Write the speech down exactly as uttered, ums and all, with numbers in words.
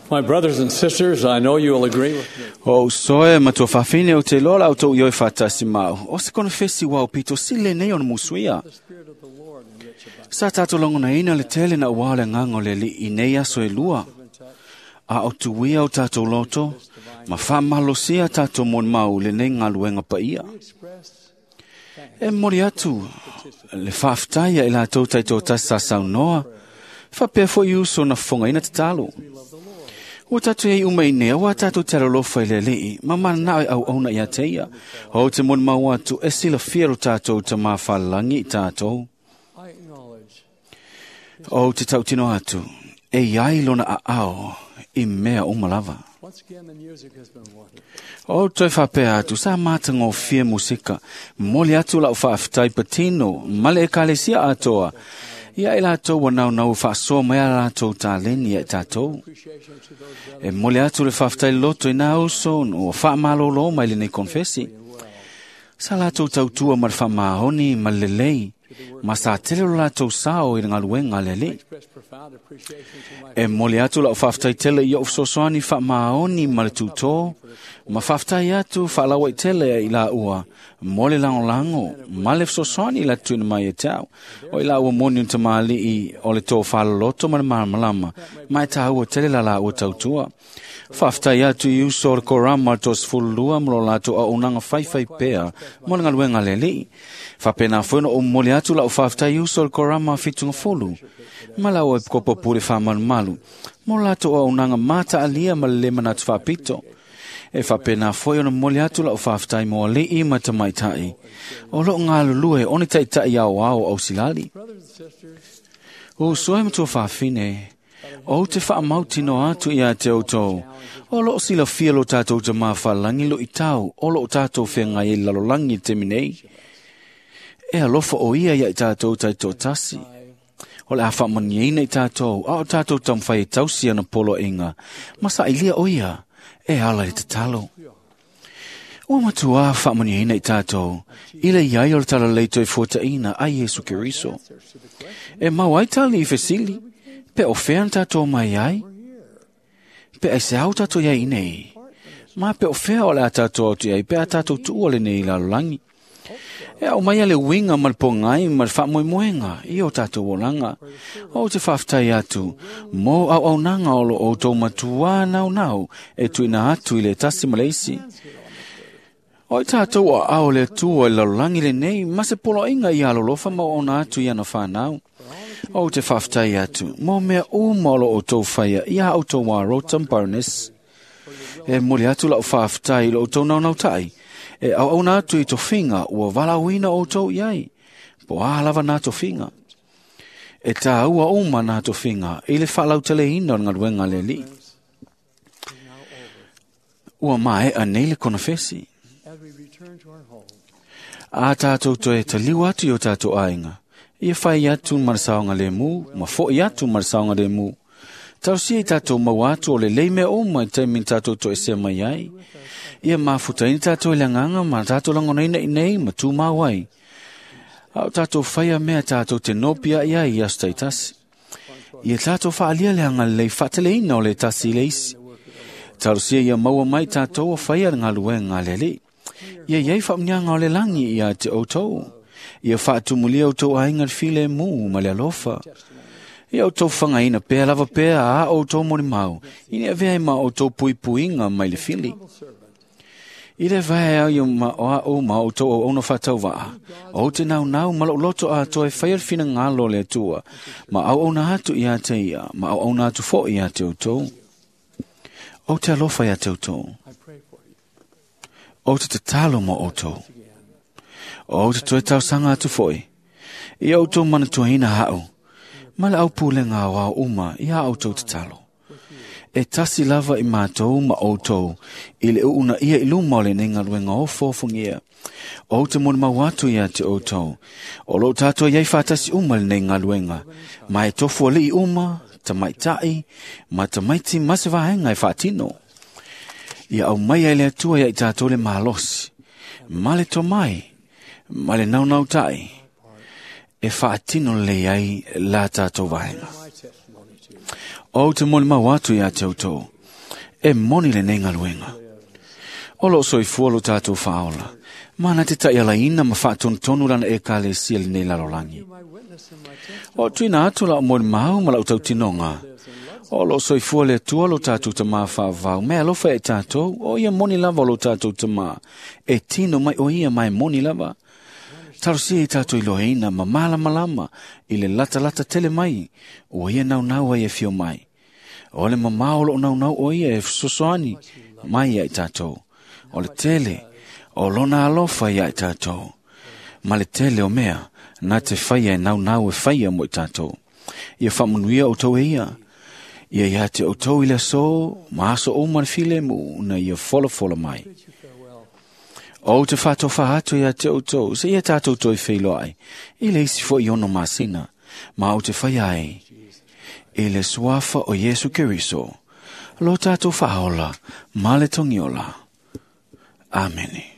My brothers and sisters, I know you will agree with me. O soe matua fafine o te lola au tau ioi whatasi mau. O se konofesi wau pito sile nei ona musuia. The Spirit of the Lord in rich abundance. Sa tātou langona ina le tele na ua le nganga o le li i nei aso e lua. A o tuia o tātou loto, ma whamalosia tātou mon mau le nei ngaluenga pa ia. We express E mori atu, le whaaftaia i la tau taito tasa saunoa, whapea fo i uso na whonga ina te talo. we love the Lord. Ua tātou ei uma i nea, ua tātou te aralofa i le lei, ma mana nao au auna ia te ia. O te mon mau atu, e sila fiero tātou te mawhalangi i tātou. I acknowledge O te tautino atu, e iai lona a ao, i mea umalava. once again the music has been wonderful. O toi whapea atu, sa māta ngō fia musika, moli atu lau whaaftai patino, male e kalesia atoa. Ia e lātou wa nau nau whaasoa mai a lātou tāleni e tātou. Appreciation to those E brothers moli atu le whaaftai loto i nā uso, no whaamalolo mai le nei konfesi. and well Sa lātou tautua ma le whaamahoni ma le lelei, ma sa tele o lātou sao i le ngaluenga le lei. express profound appreciation to my E moli atu lau whaaftai tele i o sosoani whaamaoni ma le tūtō, ma whaaftai atu whaalawa i tele i la ua, mole lango lango, ma le sosoani la tuina mai e tau. O i la ua moni unta maali i o le tō whalaloto ma le malamalama, ma e tāua tele la la ua tautua. Whaaftai atu i uso o le korama tō sfululua mo lo lātou au nanga whaiwhai pea mo le ngaluenga le lii. Whapena whena o moli atu lau whaaftai uso o le korama whitunga folu. Ma lau e kopo pure whamalumalu. Mo lātou au nanga mata alia ma le lemana atu whapito. E whapena foi ona moli atu lau whaaftai mo alii ma tamaitai. O lo ngā lulue one taitai au au au silali. brothers and sisters. O soe matua whawhine, o te whaamautino atu ia te autou. O lo sila fia lo tātou te mawhalangi lo i tau, o lo tātou whengai e lalolangi te minei. E alofa o ia ia i tātou tai tō tasi. O le a whaamaniaina i tātou, a o tātou tamwhai e tausi ana polo inga. Masa ilia o ia, e ala i te talo. O matua whaamaniaina i tātou, ila iai o le tala leito e fuataina a Yesu Keriso. Answers to the question E mau ai tali i fesili, pe o whean tātou mai ai, pe ai se au tātou iai nei. Ma pe o whea o le a tātou atu iai, pe a tātou tuua le nei lalolangi. E au mai ale winga ma le pongai ma le whaamoemoenga i o tātou olanga. O te whaaftai atu, mō au au nanga o lo o tō matua nau nau e tuina atu i le tasi ma le isi. O i tātou a ao le atua i lalolangi le nei, ma se polo inga i alolofa ma ona atu i ana whanau. O te whaaftai atu, mō mea uma o lo o tō whaia i a au tō wā Barnes. E moli atu lau whaaftai lo o tō nau nau tai. E au au nā atu i tō finga ua walauina o tō iai. Po a lava nā tō finga. E tā ua uma nā tō finga i le whalau tele ina o ngaluenga le li. is now over. Ua mae a nei le konofesi. As we return to our home, A tātou toe ta liu atu i o tātou ainga. Ia whai atu marasaonga le mū, ma foi atu marasaonga le mū. Tau sia i tātou mau atu o le lei mea uma i taimin tātou toe sea mai ai. Ia mafuta ina tātou i le nganga ma tātou langona ina i nei ma tū mau ai. Au tātou whaia mea tātou te nopia ia i asu taitasi. Ia tātou whaalia le anga lei whatele ina o le tasi i le isi. Tau sia ia maua mai tātou o whaia le ngaluenga le lei. Ia iai whaamnianga o le langi ia te outou. Ia whaatumulia o tau ainga le file mū ma le alofa. Ia o tau whangaina pēa lava pēa a o tau moni mau. Ine avea ma o tau pui puinga mai le fili. humble servant, I le vae au ia ma o a o ma o tau o ono whatau waa. O te nau nau ma lo loto a toi whai al whina ngalo le atua. Ma au ona atu ia te ia, ma au ona atu fo ia te o tau. O te alofa ia te o tau. I pray for you O te tatalo mo o tau. again. O te toe tausanga atu foi. I au tō mana tuahina hau. Ma le au pūlenga o au uma i a au tau tatalo. E tasi lava i mātou ma outou, i le uuna ia i luma o le nei ngaluenga o fōfungia. O te moni mau atu ia te outou. O lo tātou iai whātasi uma le nei ngaluenga. Ma e tofu ali i uma, tamaitai, ma tamaiti ma se vahenga e whaatino. Ia au mai ai le atua ia i tātou le malosi. Ma le tomai, ma le naunau tai. E whaatino le ai la tātou vahenga. My testimony to you. O te moni mau atu ia te outou. E moni lenei galuega. O loo soifua lo tatou faaola, ma na te taʻialaina ma faatonutonu lana ekalesia lenei lalolagi. My witness and my testimony O tuina atu lau molimau ma lau tautinoga. O loo soifua le Atua lo tatou Tamā faavavau, me alofa e tatou, o ia moni lava o lo tatou Tamā. E tino mai o ia mai moni lava. Talosia i tatou iloeina ma malamalama i le latalata tele mai, ua ia naunau ai e fio mai. O le mamao o loo naunau o ia e fesoasoani mai ia i tatou. O le tele o lona alofa ia i tatou. Ma le tele o mea, na te faia e naunau e faia mo i tatou. Ia faamanuia outou e ia. Ia ia te outou i le aso, ma aso uma le filemu na ia folafola mai. bids you farewell. O te faatofa atu ia te outou, se ia tatou toe feiloai, i le isi foi ono masina, ma o te fai ai, i le suafa o Iesu Keriso, lo tatou faaola, ma le togiola. Amene.